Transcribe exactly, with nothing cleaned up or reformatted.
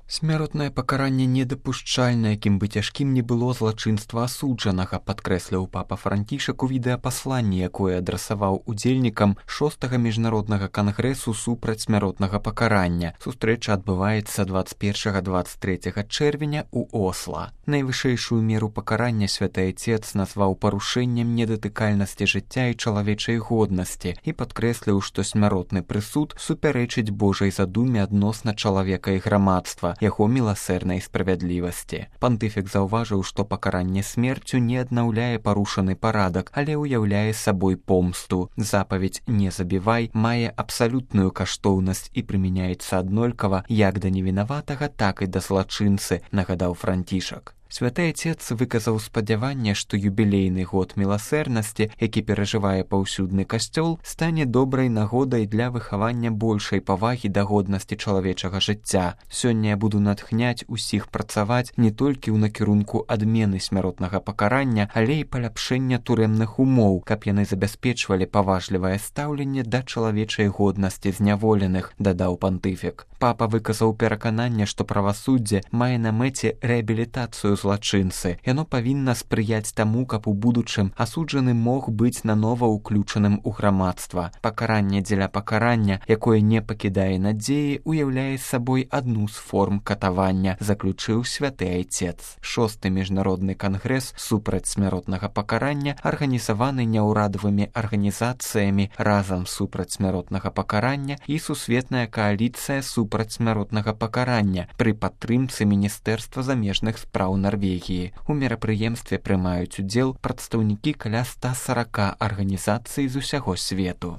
Смяротнае пакаранне недапушчальна, якім бы цяжкім не было злачынства асуджанага, падкрэсліў папа Францішак у відэапасланні, якое адрасаваў удзельнікам шостага міжнароднага кангрэсу супраць смяротнага пакарання. Сустрэча адбываецца дваццаць першага - дваццаць трэцяга чэрвеня ў Осла. Найвышэйшую меру пакарання святы Айцец назваў парушэннем недатыкальнасці жыцця і чалавечай годнасці і падкрэсліў, што смяротны прысуд супярэчыць Божай задуме адносна чалавека і грамадства, яго міласэрнай справядлівасці. Пантыфік заўважыў, што пакаранне смерцю не аднаўляе парушаны парадак, але ўяўляе сабой помсту. Запаведь «не забівай» мае абсалютную каштоўнасць і прымяняецца аднолькава як да невінаватага, так і да злачынцы, нагадаў Францішак. Святы Айцец выказаў спадзяванне, што юбілейны год міласэрнасці, які перажывае паўсюдны касцёл, стане добрай нагодай для выхавання большай павагі да годнасці чалавечага жыцця. Сёння я буду натхняць усіх працаваць не толькі ў накірунку адмены смяротнага пакарання, але і паляпшэння турэмных умоў, каб яны забяспечвалі паважлівае стаўленне да чалавечай годнасці зняволеных, дадаў пантыфік. Папа выказаў перакананне, што правасуддзе мае на мэце рэабілітацыю злачынцы. Яно павінна спрыяць таму, каб у будучым асуджаны мог быць нанова ўключаным у грамадства. Пакаранне дзеля пакарання, якое не пакідае надзеі, уяўляе сабой адну з форм катавання, заключыў святы Айцец. Шосты міжнародны кангрэс супраць смяротнага пакарання арганізаваны няўрадавымі арганізацыямі разам супраць смяротнага пакарання і сусветная кааліцыя супраць смяротнага пакарання пры падтрымцы Міністэрства замежных спраў Нарвегіі. У мерапрыемстве прымаюць удзел прадстаўнікі каля ста сорока арганізацый з усяго свету.